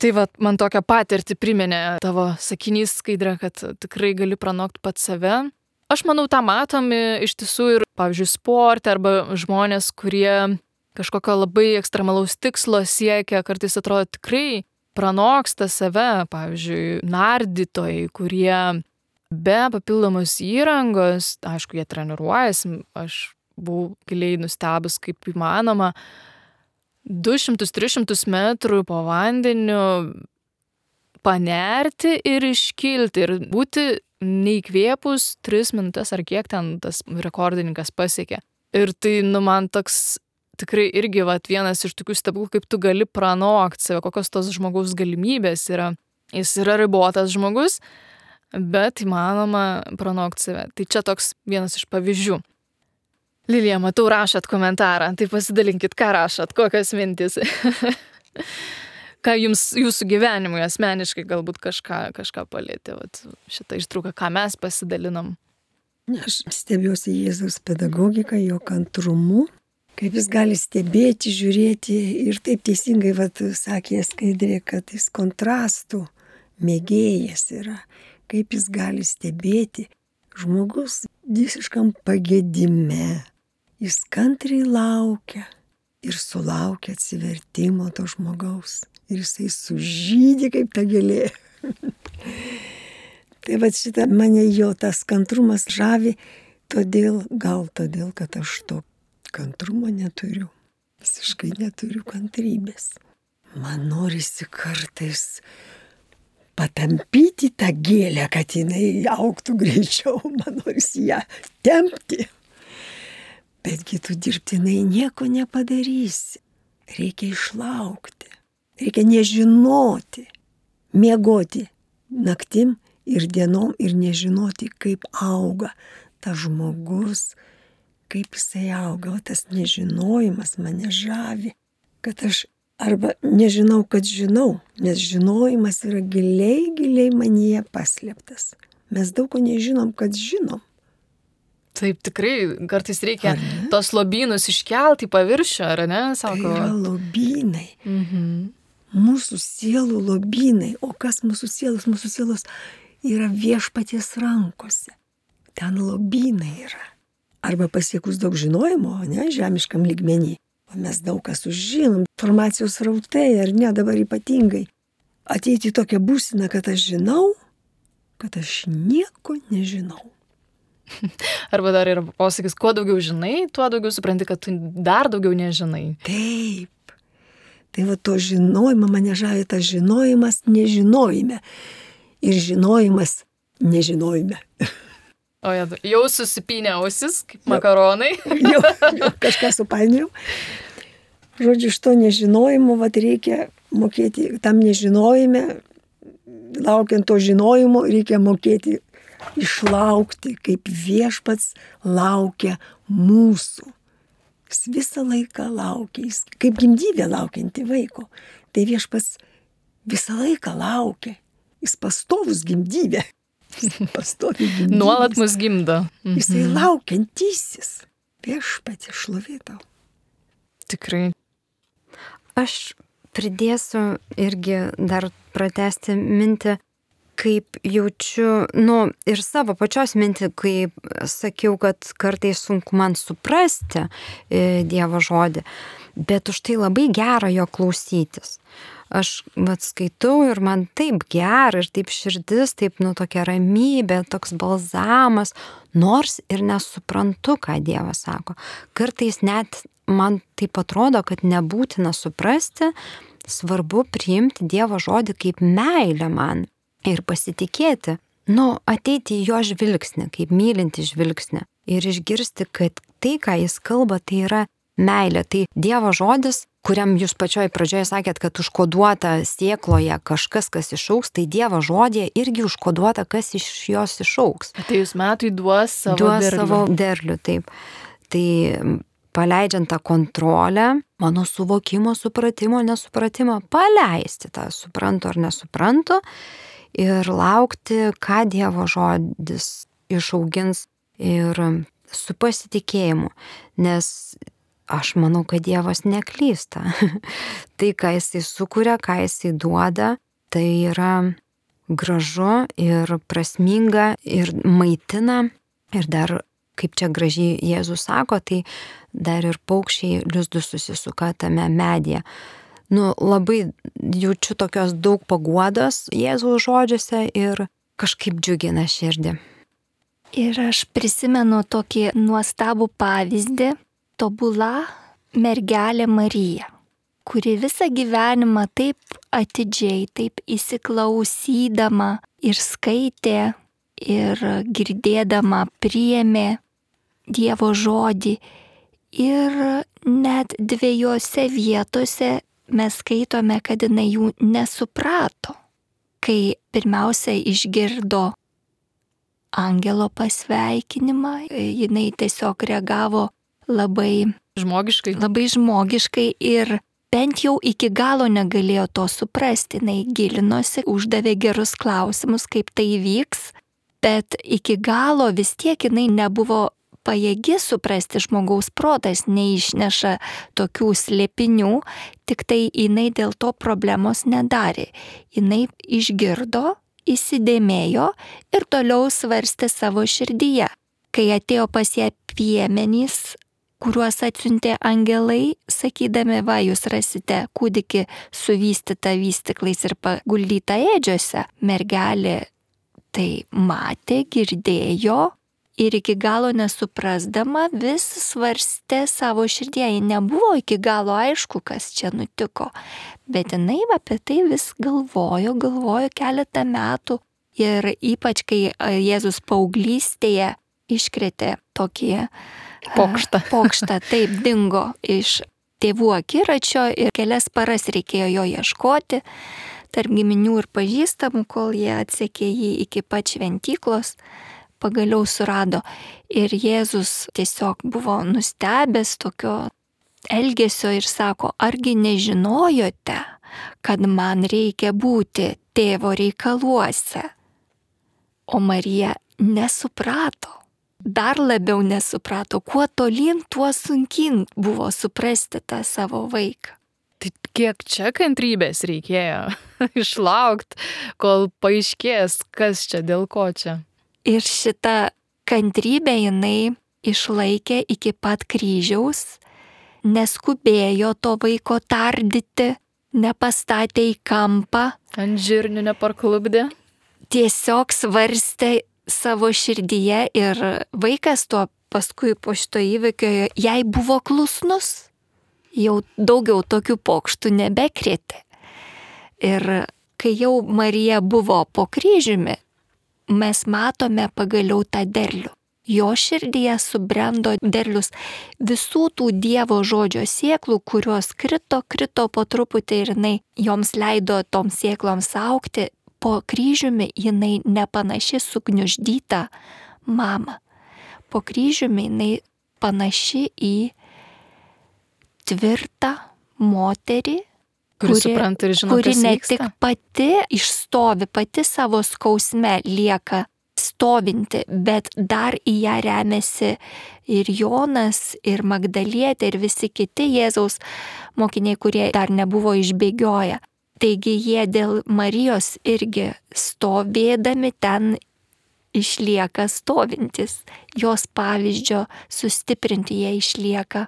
Tai va, man tokią patirtį priminė tavo sakinys, Skaidra, kad tikrai gali pranokti pats save. Aš manau, tą matomi iš tiesų ir, pavyzdžiui, sporte arba žmonės, kurie kažkokio labai ekstremalaus tikslo siekia, kartais atrodo tikrai pranoksta save, pavyzdžiui, nardytojai, kurie be papildomos įrangos, aišku, jie treniruojasi, aš buvau giliai nustebus, kaip įmanoma, du šimtus tris šimtus metrų po vandeniu panerti ir iškilti ir būti neįkvėpus tris minutes ar kiek ten tas rekordininkas pasiekė. Ir tai, nu, man toks tikrai irgi vat, vienas iš tokių stebuklų, kaip tu gali pranokti save, kokios tos žmogaus galimybės yra. Jis yra ribotas žmogus, bet įmanoma pranokti save. Tai čia toks vienas iš pavyzdžių. Lilija, matau, rašot komentarą, tai pasidalinkit, ką rašot, kokios mintys. Ką jums, jūsų gyvenimui asmeniškai galbūt kažką, kažką palėtė, vat, šitą ištrauką, ką mes pasidalinom. Aš stebiuosi Jėzaus pedagogiką, jo kantrumu, kaip jis gali stebėti, žiūrėti ir taip teisingai, vat, sakė Skaidrė, kad jis kontrastų mėgėjas yra, kaip jis gali stebėti. Žmogus visiškam pagėdime, jis kantriai laukia ir sulaukia atsivertimo to žmogaus ir jisai sužydi kaip ta gėlė. Tai va šitą mane jo tas kantrumas žavi, todėl, gal todėl, kad aš to kantrumo neturiu. Visiškai neturiu kantrybės. Man norisi kartais patampyti tą gėlę, kad jinai augtų greičiau, man norisi ją tempti. Betgi tu dirbtinai nieko nepadarysi. Reikia išlaukti. Reikia nežinoti, miegoti naktim ir dienom ir nežinoti, kaip auga tas žmogus, kaip jisai auga. O tas nežinojimas mane žavi, kad aš arba nežinau, kad žinau, nes žinojimas yra giliai, giliai manyje paslėptas. Mes daug ko nežinom, kad žinom. Taip, tikrai, kartais reikia tos lobynus iškelti į paviršių, ar ne, sako? Tai yra lobynai. Mhm. Mūsų sielų lobynai. O kas mūsų sielos? Mūsų sielos yra viešpaties rankose. Ten lobynai yra. Arba pasiekus daug žinojimo, ne, žemiškam lygmenį. O mes daug kas sužinom, informacijos rautai, ar ne, dabar ypatingai. Ateiti į tokią būseną, kad aš žinau, kad aš nieko nežinau. Arba dar yra posakis, kuo daugiau žinai, tuo daugiau supranti, kad tu dar daugiau nežinai. Taip. Tai va to žinojimą mane žavi, tas žinojimas nežinojime. Ir žinojimas nežinojime. O jau susipynė ausis, kaip makaronai. Jau, jau kažką supainiau. Žodžiu, iš to nežinojimo vat reikia mokėti, tam nežinojime, laukiant to žinojimo, reikia mokėti išlaukti, kaip viešpats laukia mūsų. Jis visą laiką laukia, jis kaip gimdyvė laukianti vaiko. Tai viešpats visą laiką laukia, jis pastovus gimdyvė. Pastovi gimdyvės. Nuolat mus gimdo. Mhm. Jisai laukiantysis. Viešpatie šlovė tau. Tikrai. Aš pridėsiu irgi dar pratęsti mintį, kaip jaučiu, nu, ir savo pačios mintį, kai sakiau, kad kartais sunku man suprasti Dievo žodį, bet už tai labai gera jo klausytis. Aš vat skaitau ir man taip gera ir taip širdis, taip, nu, tokia ramybė, toks balzamas, nors ir nesuprantu, ką Dievas sako. Kartais net man taip atrodo, kad nebūtina suprasti, svarbu priimti Dievo žodį kaip meilę man. Ir pasitikėti, nu, ateiti į jo žvilgsnį, kaip mylinti žvilgsnį. Ir išgirsti, kad tai, ką jis kalba, tai yra meilė. Tai Dievo žodis, kuriam jūs pačioj pradžioje sakėt, kad užkoduota sėkloje kažkas, kas išaugs, tai Dievo žodėje irgi užkoduota, kas iš jos išaugs. Atėjus metui duos savo duos derlių. Savo derlių, taip. Tai paleidžiant tą kontrolę, mano suvokimo, supratimo, nesupratimo, paleisti tą suprantu ar nesuprantu, ir laukti, ką Dievo žodis išaugins ir su pasitikėjimu, nes aš manau, kad Dievas neklysta. Tai, ką jisai sukuria, ką jisai duoda, tai yra gražu ir prasminga ir maitina. Ir dar, kaip čia gražiai Jėzus sako, tai dar ir paukščiai lizdus susisuka tame medyje. Nu, labai jaučiu tokios daug paguodos Jėzaus žodžiuose ir kažkaip džiugina širdį. Ir aš prisimenu tokį nuostabų pavyzdį, tobula mergelė Marija, kuri visą gyvenimą taip atidžiai, taip įsiklausydama ir skaitė ir girdėdama priėmė Dievo žodį. Ir net dviejose vietose mes skaitome, kad jinai jų nesuprato. Kai pirmiausia išgirdo angelo pasveikinimą, jinai tiesiog reagavo labai Žmogiškai. labai žmogiškai ir bent jau iki galo negalėjo to suprasti. Jinai gilinosi, uždavė gerus klausimus, kaip tai įvyks, bet iki galo vis tiek jinai nebuvo pajėgi suprasti, žmogaus protas neišneša tokių slėpinių, tik tai jinai dėl to problemos nedarė. Jinai išgirdo, įsidėmėjo ir toliau svarstė savo širdyje. Kai atėjo pas ją piemenys, kuriuos atsiuntė angelai, sakydami, va, jūs rasite kūdikį suvystytą vystyklais ir paguldytą ėdžiuose, mergelė tai matė, girdėjo ir iki galo nesuprasdama vis svarstė savo širdyje. Ji nebuvo iki galo aišku, kas čia nutiko, bet jinai apie tai vis galvojo, galvojo keletą metų ir ypač kai Jėzus paauglystėje iškrėtė tokį Pokštą. Pokštą, taip, dingo iš tėvų akiračio ir kelias paras reikėjo jo ieškoti tarp giminių ir pažįstamų, kol jie atsekė jį iki pat šventyklos, pagaliau surado. Ir Jėzus tiesiog buvo nustebęs tokio elgesio ir sako, argi nežinojote, kad man reikia būti tėvo reikaluose? O Marija nesuprato. Dar labiau nesuprato, kuo tolyn, tuo sunkin buvo suprasti tą savo vaiką. Tai kiek čia kantrybės reikėjo išlaukti, kol paaiškės, kas čia, dėl ko čia. Ir šitą kantrybę jinai išlaikė iki pat kryžiaus, neskubėjo to vaiko tardyti, nepastatė į kampą. Ant žirnių neparklubdė. Tiesiog svarstė savo širdyje ir vaikas tuo paskui po šito įvykio jai buvo klusnus, jau daugiau tokių pokštų nebekrėtė. Ir kai jau Marija buvo po kryžiumi, mes matome pagaliau tą derlių. Jo širdyje subrendo derlius visų tų Dievo žodžio sėklų, kurios krito, krito po truputį ir jinai joms leido toms sėkloms augti. Po kryžiumi jinai nepanaši sugniuždyta mama. Po kryžiumi jinai panaši į tvirtą moterį, kuri, kuri supranta ir žino, kuri kas ne vyksta. tik pati išstovi, pati savo skausme lieka stovinti, bet dar į ją remiasi ir Jonas, ir Magdalietė, ir visi kiti Jėzaus mokiniai, kurie dar nebuvo išbėgioję. Taigi jie dėl Marijos irgi stovėdami ten išlieka stovintis. Jos pavyzdžio sustiprinti jie išlieka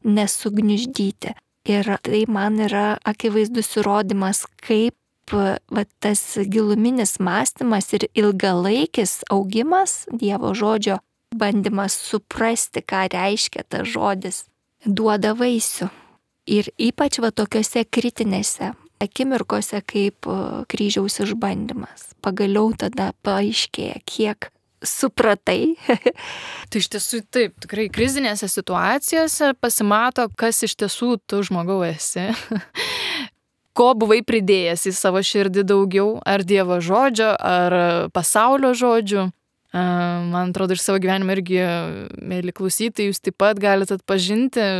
nesugniuždyti. Ir tai man yra akivaizdus įrodymas, kaip va, tas giluminis mąstymas ir ilgalaikis augimas Dievo žodžio, bandymas suprasti, ką reiškia tas žodis, duoda vaisių. Ir ypač va tokiuose kritinėse akimirkose kaip kryžiaus išbandymas. Pagaliau tada paaiškėja, kiek supratai. Tai iš tiesų taip, tikrai krizinėse situacijose pasimato, kas iš tiesų tu žmogau esi. Ko buvai pridėjęs į savo širdį daugiau, ar Dievo žodžio, ar pasaulio žodžių. Man atrodo, iš savo gyvenimo irgi, mėly klausytojai, jūs taip pat galite atpažinti,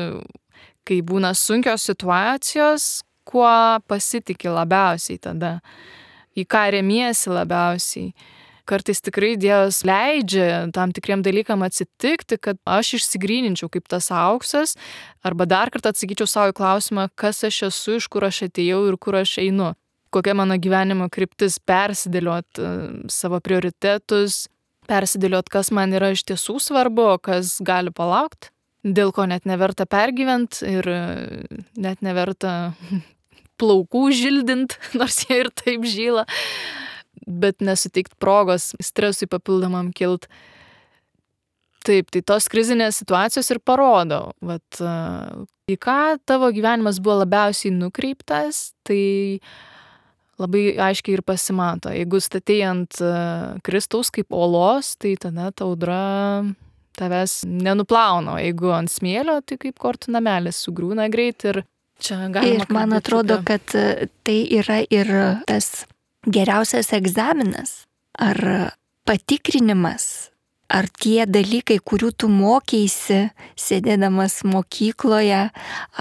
kai būna sunkios situacijos, kuo pasitiki labiausiai tada, į ką remiesi labiausiai. Kartais tikrai Dievas leidžia tam tikriem dalykam atsitikti, kad aš išsigryninčiau kaip tas auksas, arba dar kartą atsakyčiau savo klausimą, kas aš esu, iš kur aš atėjau ir kur aš einu. Kokia mano gyvenimo kryptis, persidėliot savo prioritetus, persidėliot, kas man yra iš tiesų svarbu, kas gali palaukti, dėl ko net neverta pergyvent ir net neverta plaukų žildint, nors jie ir taip žyla, bet nesuteikt progos stresui papildomam kilt. Taip, tai tos krizinės situacijos ir parodo, vat, į ką tavo gyvenimas buvo labiausiai nukreiptas, tai labai aiškiai ir pasimato. Jeigu statei ant Kristaus kaip olos, tai tada ta audra tavęs nenuplauna. Jeigu ant smėlio, tai kaip kortų namelis sugriūna greit ir čia galima. Ir man atrodo, kad tai yra ir tas geriausias egzaminas. Ar patikrinimas, ar tie dalykai, kurių tu mokėsi, sėdėdamas mokykloje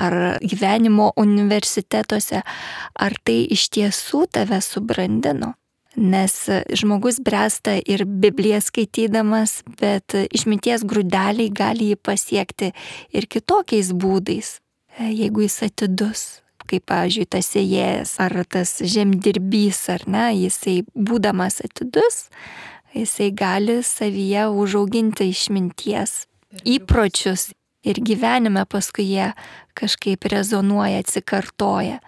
ar gyvenimo universitetuose, ar tai iš tiesų tave subrandino. Nes žmogus bręsta ir Bibliją skaitydamas, bet išminties grūdeliai gali jį pasiekti ir kitokiais būdais, jeigu jis atidus. Kaip, pavyzdžiui, tas sėjėjas ar tas žemdirbys, ar ne, jisai būdamas atidus, jisai gali savyje užauginti išminties įpročius ir gyvenime paskui jie kažkaip rezonuoja, atsikartoja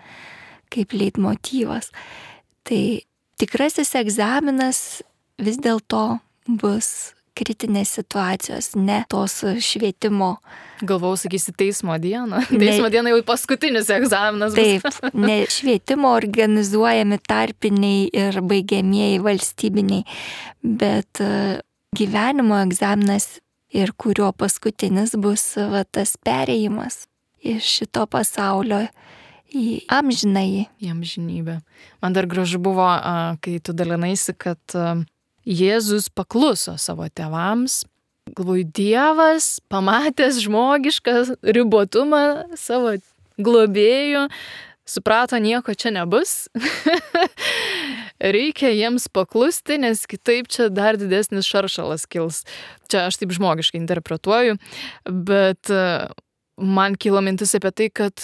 kaip leitmotyvas. Tai tikrasis egzaminas vis dėlto bus kritinės situacijos, ne tos švietimo. Galvau, sakysi, teismo dieną. Teismo diena jau paskutinis egzaminas bus. Taip, ne švietimo organizuojami tarpiniai ir baigiamieji valstybiniai, bet gyvenimo egzaminas ir kurio paskutinis bus va, tas perėjimas iš šito pasaulio į amžinąjį. Į amžinybę. Man dar gražu buvo, kai tu dalinaisi, kad Jėzus pakluso savo tėvams. Galvoju, Dievas, pamatęs žmogišką ribotumą savo globėjų, suprato, nieko čia nebus. Reikia jiems paklusti, nes kitaip čia dar didesnis šaršalas kils. Čia aš taip žmogiškai interpretuoju, bet man kilo mintis apie tai, kad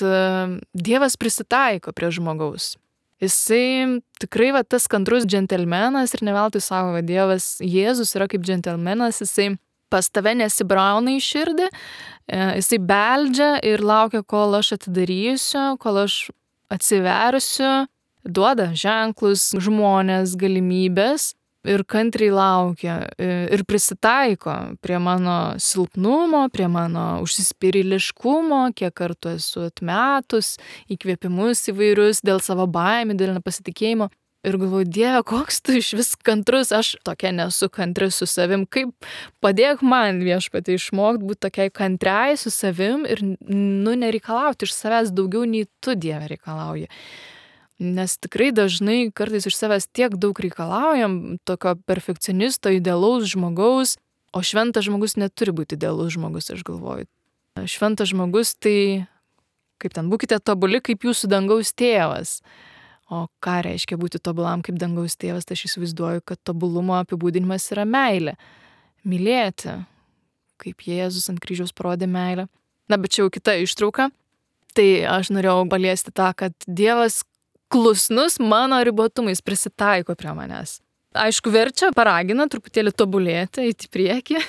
Dievas prisitaiko prie žmogaus. Jisai tikrai va, tas kantrus džentelmenas ir ne veltui sako, kad Dievas, Jėzus yra kaip džentelmenas, jisai pas tave nesibrauna į širdį, jisai beldžia ir laukia, kol aš atidarysiu, kol aš atsiversiu, duoda ženklus, žmonės, galimybės ir kantriai laukia ir prisitaiko prie mano silpnumo, prie mano užsispyriliškumo, kiek kartų esu atmetus, įkvėpimus įvairius dėl savo baimių, dėl nepasitikėjimo. Ir galvoju, Dieve, koks tu iš vis kantrus, aš tokia nesu kantri su savim, kaip padėk man Viešpatie išmokti būti tokiai kantriai su savim ir nu nereikalauti iš savęs daugiau nei tu, Dieve, reikalauji. Nes tikrai dažnai kartais iš savęs tiek daug reikalaujam, tokio perfekcionisto, idealaus žmogaus, o šventas žmogus neturi būti idealus žmogus, aš galvoju. Šventas žmogus tai, kaip ten, būkite tobuli kaip jūsų dangaus tėvas. O ką reiškia būti tobulam kaip dangaus tėvas, tai aš įsivaizduoju, kad tobulumo apibūdinimas yra meilė. Mylėti, kaip Jėzus ant kryžiaus parodė meilę. Na, bet čia jau kita ištrauka. Tai aš norėjau paliesti tą, kad Dievas klusnus mano ribotumais prisitaiko prie manęs. Aišku, verčia, paragina truputėlį tobulėti, eiti į priekį,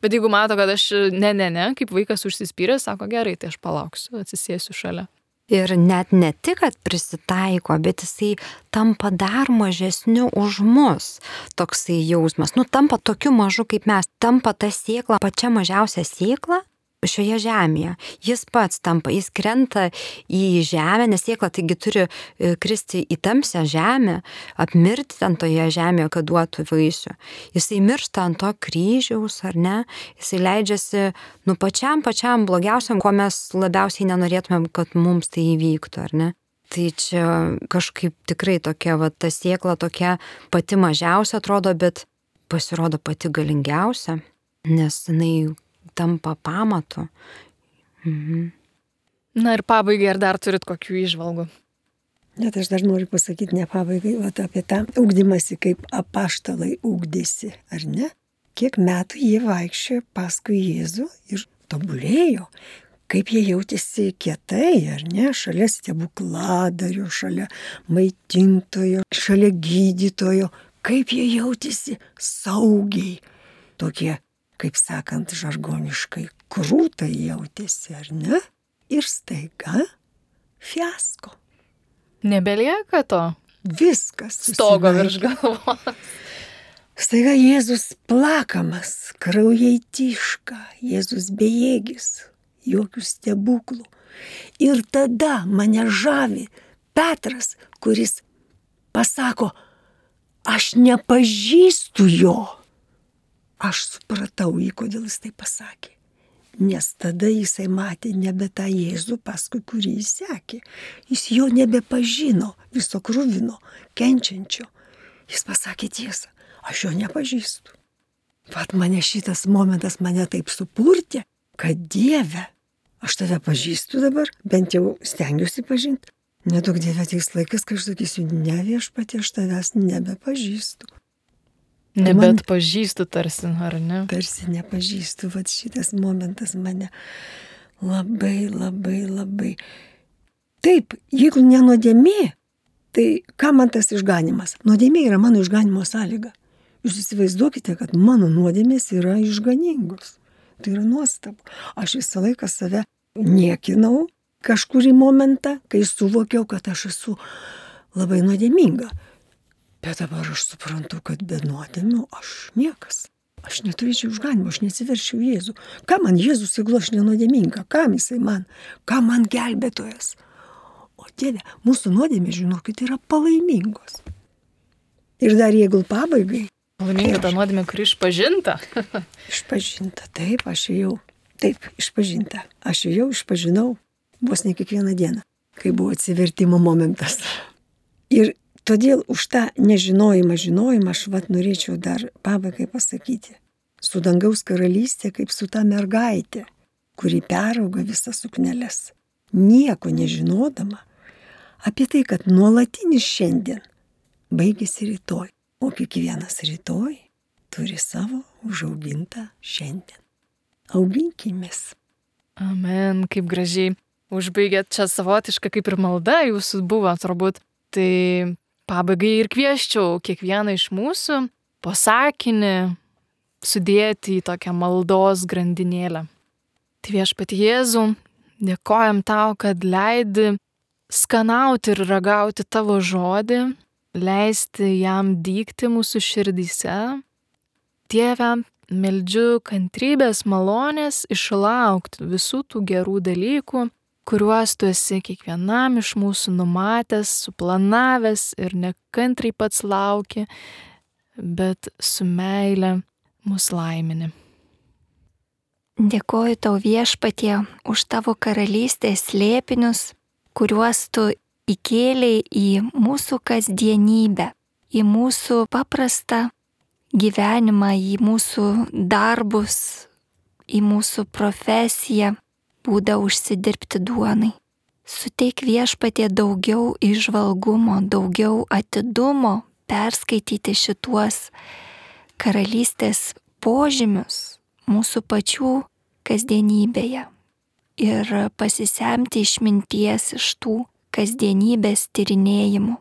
bet jeigu mato, kad aš ne, ne, ne, kaip vaikas užsispyręs, sako, gerai, tai aš palauksiu, atsisėsiu šalia. Ir net ne tik, kad prisitaiko, bet jisai tampa dar mažesniu už mus. Toksai jausmas, nu tampa tokiu mažu kaip mes, tampa ta sėkla, pačia mažiausia sėkla šioje žemėje. Jis pats tampa, jis krenta į žemę, nes sėkla taigi turi kristi į tamsią žemę, apmirti ten toje žemėje, kad duotų vaisių. Jisai miršta ant to kryžiaus, ar ne? Jisai leidžiasi, nu pačiam, pačiam blogiausiam, ko mes labiausiai nenorėtumėm, kad mums tai įvyktų, ar ne? Tai čia kažkaip tikrai tokia, va, ta sėkla tokia pati mažiausia atrodo, bet pasirodo pati galingiausia, nes jinai tampa pamatu. Mhm. Na ir pabaigai, ar dar turit kokių įžvalgų? Net aš dar noriu pasakyti ne pabaigai, o apie tą ugdymąsi, kaip apaštalai ugdėsi, ar ne? Kiek metų jie vaikščiojo paskui Jėzų ir tobulėjo, kaip jie jautėsi kietai, ar ne? Šalia stebukladario, šalia maitintojo, šalia gydytojo, kaip jie jautėsi saugiai, tokie, kaip sakant, žargoniškai, krūtai jautėsi, ar ne? Ir staiga fiasko. Nebelieka to. Viskas. Stogo virš galvos. Staiga Jėzus plakamas, kraujai tyška, Jėzus bejėgis, jokių stebuklų. Ir tada mane žavi Petras, kuris pasako, aš nepažįstu jo. Aš supratau jį, kodėl jis tai pasakė. Nes tada jisai matė nebe tą Jėzų, paskui kurį jis sekė. Jis jo nebepažino, viso kruvino, kenčiančio. Jis pasakė tiesą. aš jo nepažįstu. Vat mane šitas momentas mane taip supurtė, kad Dieve, aš tave pažįstu dabar, bent jau stengiuosi pažinti. Nedaug Dieve ateis laikas, kai aš sakysiu, ne Viešpatie, aš tavęs nebepažįstu. Nebet pažįstu tarsi, ar ne? Tarsi nepažįstu, vat šitas momentas mane labai, labai, labai. Taip, jeigu ne nuodėmė, tai ką man tas išganimas? Nuodėmė yra mano išganimo sąlyga. Jūs įsivaizduokite, kad mano nuodėmės yra išganingos. Tai yra nuostabu. Aš visą laiką save niekinau kažkurį momentą, kai suvokiau, kad aš esu labai nuodėminga. Bet dabar aš suprantu, kad be nuodėmių aš niekas. Aš neturėčiau išganimo, aš nesiverčiau Jėzų. Ką man Jėzus, jeigu aš nenuodėminga? Kam jisai man? Ką man gelbėtojas? O Dieve, mūsų nuodėmė, žinokit, yra palaimingos. Ir dar jeigu pabaigai. Palaiminga ta nuodėmė, kuri išpažinta. Išpažinta, taip, aš jau. Taip, išpažinta. Aš jau išpažinau vos ne kiekvieną dieną, kai buvo atsivertimo momentas. Ir todėl už tą nežinojimą, žinojimą aš vat norėčiau dar pabaigai pasakyti. Su dangaus karalystė kaip su ta mergaitė, kuri perauga visas sukneles, nieko nežinodama apie tai, kad nuolatinis šiandien baigėsi rytoj, o kiekvienas rytoj turi savo užaugintą šiandien. Auginkimės. Amen, kaip gražiai užbaigėt, čia savotiška kaip ir malda jūsų buvo turbūt. Tai pabaigai ir kvieščiau kiekvieną iš mūsų po sakinį sudėti į tokią maldos grandinėlę. Tai Viešpatie Jėzau, dėkojam tau, kad leidi skanauti ir ragauti tavo žodį, leisti jam dygti mūsų širdyse. Dieve, meldžiu kantrybės, malonės išlaukti visų tų gerų dalykų, kuriuos tu esi kiekvienam iš mūsų numatęs, suplanavęs ir nekantriai pats lauki, bet su meile mus laimini. Dėkoju tau Viešpatie už tavo karalystės slėpinius, kuriuos tu įkėlei į mūsų kasdienybę, į mūsų paprastą gyvenimą, į mūsų darbus, į mūsų profesiją, būdą užsidirbti duonai. Suteik Viešpatie daugiau įžvalgumo, daugiau atidumo perskaityti šituos karalystės požymius mūsų pačių kasdienybėje ir pasisemti išminties iš tų kasdienybės tyrinėjimų,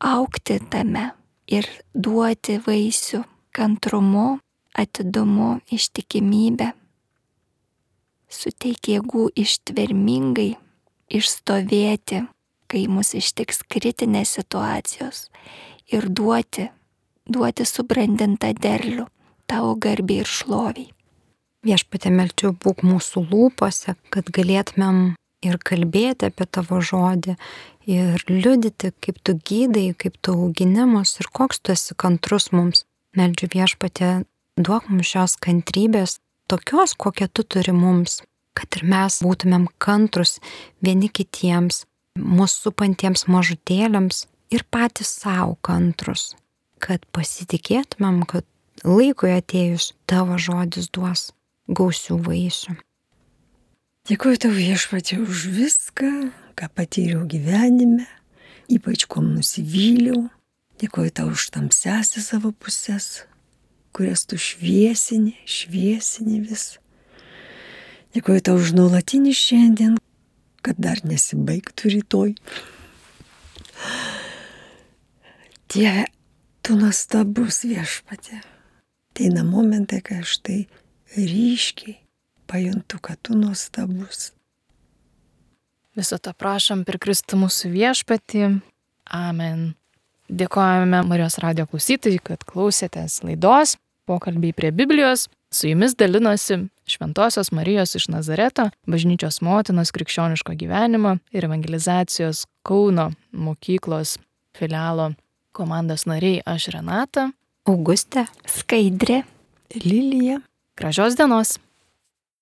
augti tame ir duoti vaisių kantrumu, atidumu, ištikimybę. Suteik jėgų ištvermingai išstovėti, kai mus ištiks kritinės situacijos ir duoti, duoti subrandintą derlių tavo garbei ir šloviai. Viešpatie, meldžiu, būk mūsų lūpose, kad galėtumėm ir kalbėti apie tavo žodį ir liudyti, kaip tu gydai, kaip tu augini mus ir koks tu esi kantrus mums. Meldžiu Viešpatie, duok mums šios kantrybės, tokios, kokią tu turi mums, kad ir mes būtumėm kantrus vieni kitiems, mūsų supantiems mažutėliams ir patys savo kantrus, kad pasitikėtumėm, kad laikui atėjus tavo žodis duos gausių vaisių. Dėkuoju tau Viešpatie už viską, ką patyriau gyvenime, ypač kuom nusivyliau. Dėkuoju tau už tamsiąsias savo pusės, kurias tu šviesini, šviesini vis. Dėkuoju tau už nuolatinį šiandien, kad dar nesibaigtų rytoj. Dieve, tu nuostabus Viešpatie. Ateina momentai, kai aš tai ryškiai pajuntu, kad tu nuostabus. Viso to prašom per Kristų mūsų Viešpatį. Amen. Dėkojame Marijos radijo klausytojai, kad klausėtės laidos Pokalbiai prie Biblijos. Su jumis dalinosi Šventosios Marijos iš Nazareto bažnyčios motinos krikščioniško gyvenimo ir evangelizacijos Kauno mokyklos filialo komandos nariai aš Renata, Augustė, Skaidrė, Lilija. Gražios dienos.